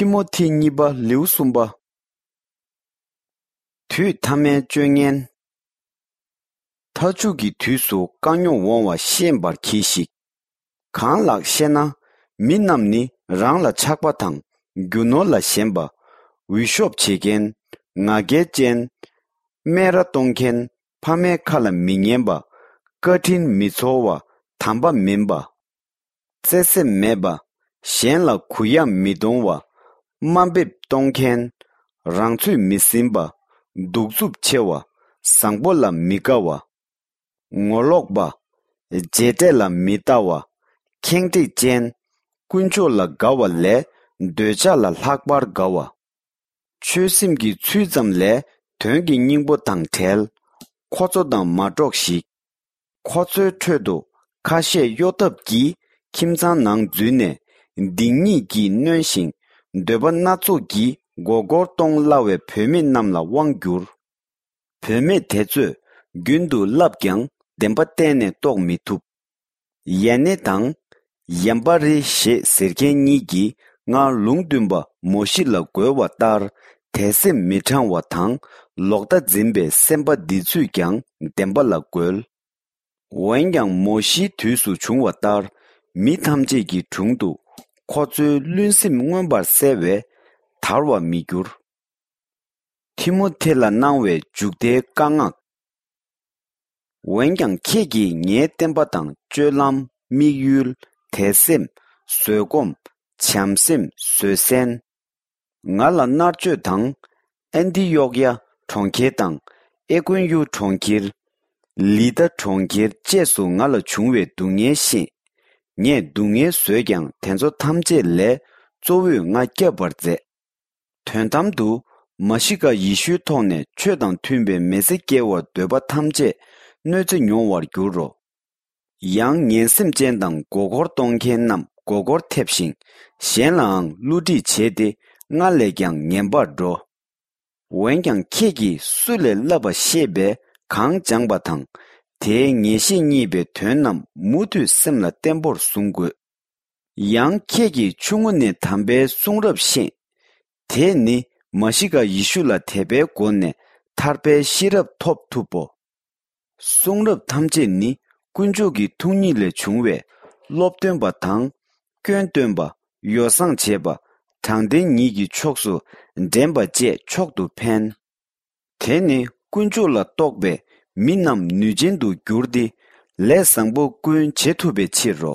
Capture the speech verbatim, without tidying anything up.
ཏི་མོ་ཐི་གཉིས་པ་ལེའུ་གསུམ་པ། དུས་ཐ་མའི་སྤྱོད་ངན། མཐའ་མཇུག་གི་དུས་སུ་དཀའ་རྙོག་འོང་བ་ཤེས་པར་གྱིས་ཤིག། གང་ལགས་ཤེ་ན། མི་རྣམས་ནི་རང་ལ་ཆགས་པ་དང་རྒྱུ་ནོར་ལ་ཞེན་པ། འུད་ཤོབ་བྱེད་མཁན། ང་རྒྱལ་ཅན། སྨད་ར་གཏོང་མཁན། ཕ་མའི་ཁ་ལ་མི་ཉན་པ། བཀའ་དྲིན་མི་ཚོར་བ། དམ་པ་མིན་པ། བརྩེ་སེམས་མེད་པ། གཞན་ལ་གུ་ཡངས་མི་གཏོང་བ། དམའ་འབེབས་གཏོང་མཁན། རང་ཚོད་མི་ཟིན་པ། གདུག་རྩུབ་ཆེ་བ། བཟང་པོ་ལ་མི་དགའ་བ། ངོ་ལོག་པ། རྗེས་འབྲས་ལ་མི་ལྟ་བ། ཁེངས་དྲེགས་ཅན། དཀོན་མཆོག་ལ་དགའ་བ་ལས་འདོད་ཆགས་ལ་ལྷག་པར་དགའ་བ། ཆོས་སེམས་ཀྱི་ཚུལ་ཙམ་ལས་དོན་གྱི་སྙིང་པོ་དང་བྲལ། ཁོ་ཚོ་དང་མ་འགྲོགས་ཤིག། ཁོ་ཚོའི་ཁྲོད་དུ་ཁ་ཤས་གཡོ་ཐབས་ཀྱིས་ཁྱིམ་ཚང་ནང་འཛུལ་ནས་སྡིག་ཉེས་ཀྱིས་གནོན་ཞིང་འདོད་པ་སྣ་ཚོགས་ཀྱིས་མགོ་སྐོར་གཏོང་སླ་བའི་བུད་མེད་རྣམས་ལ་དབང་བསྒྱུར། བུད་མེད་དེ་ཚོས་རྒྱུན་དུ་བསླབས་ཀྱང་བདེན་པ་གཏན་ནས་རྟོགས་མི་ཐུབ། ཡེ་ནེ་དང་ཡམ་པ་རི་ཞེས་ཟེར་མཁན་གཉིས་ཀྱིས་སྔར་ལུང་སྟོན་པ་མོ་ཤི་ལ་རྒོལ་བ་ལྟར་དད་སེམས་མི་དྲང་བ་དང་ལོག་ལྟ་འཛིན་པའི་སེམས་པ་འདི་ཚོས་ཀྱང་བདེན་པ་ལ་རྒོལ། འོན་ཀྱང་མོ་ཤིའི་དུས་སུ་བྱུང་བ་ལྟར་མི་ཐམས་ཅད་ཀྱི་དྲུང་དུ་ཁོ་ཚོའི་བླུན་སེམས་མངོན་པར་གསལ་བས་དར་བར་མི་འགྱུར། ཐི་མོ་ཐེ་ལ་གནང་བའི་མཇུག་མཐའི་བཀའ་མངགས། འོན་ཀྱང་ཁྱེད་ཀྱིས་ངའི་བསྟན་པ་དང་སྤྱོད་ལམ། དམིགས་ཡུལ། དད་སེམས། བཟོད་སྒོམ། བྱམས་སེམས། བཟོད་བསྲན། ང་ལ་མནར་གཅོད་དང་། ཨན་ཏི་ཡོག་ཡ་གྲོང་ཁྱེར་དང་། ཨེ་ཀོན་ཡུ་གྲོང་ཁྱེར། ལི་ཏ་གྲོང་ཁྱེར་བཅས་སུ་ང་ལ་བྱུང་བའི་སྡུག་བསྔལ་ཤེས། ངས་སྡུག་བསྔལ་བཟོད་ཀྱང་དེ་ཚོ་ཐམས་ཅད་ལས་གཙོ་བོས་ང་བསྐྱབ་པར་མཛད། དོན་དམ་དུ་མ་ཤི་ཀ་ཡེ་ཤུའི་ཐོག་ནས་ཆོས་དང་མཐུན་པའི་མི་ཚེ་སྐྱེལ་བར་འདོད་པ་ཐམས་ཅད་གནོད་འཚེ་མྱོང་བར་འགྱུར་རོ། ཡང་ངན་སེམས་ཅན་དང་མགོ་སྐོར་གཏོང་མཁན་རྣམས་མགོ་སྐོར་ཐེབས་ཤིང་གཞན་ལའང་བསླུ་བྲིད་བྱེད་དེ་སྔར་ལས་ཀྱང་ངན་པར་འགྲོ། འོན་ཀྱང་ཁྱེད་ཀྱིས་སུ་ལས་བསླབ་པ་ཤེས་པས་གང་སྦྱངས་པ་དང་དེའི་ངེས་ཤེས་རྙེད་པའི་དོན་རྣམས་མུ་མཐུད་སེམས་ལ་བརྟན་པོར་བཟུང་དགོས། ཡང་ཁྱེད་ཀྱིས་ཆུང་ངུ་ནས་དམ་པའི་གསུང་རབ་ཤེས། དེས་ནི་མ་ཤི་ཀ་ཡེ་ཤུ་ལ་དད་པའི་སྒོ་ནས་ཐར་པའི་ཤེས་རབ་ཐོབ་ཐུབ་བོ། གསུང་རབ་ཐམས་ཅད་ནི་དཀོན་མཆོག་གི་ཐུགས་ཉིད་ལས་བྱུང་བས་སློབ་སྟོན་པ་དང་། སྐྱོན་སྟོན་པ། ཡོ་བསྲང་བྱེད་པ། དྲང་བདེན་ཉིད་ཀྱི་ཕྱོགས་སུ་འདྲེན་པ་བཅས་མཆོག་ཏུ་ཕན། དེ་ནི་དཀོན་མཆོག་ལ་གཏོགས་པའི་མི་རྣམས་ནུས་ཅན་དུ་འགྱུར་ཏེ་ལས་བཟང་པོ་ཀུན་བྱེད་ཐུབ་པའི་ཕྱིར་རོ།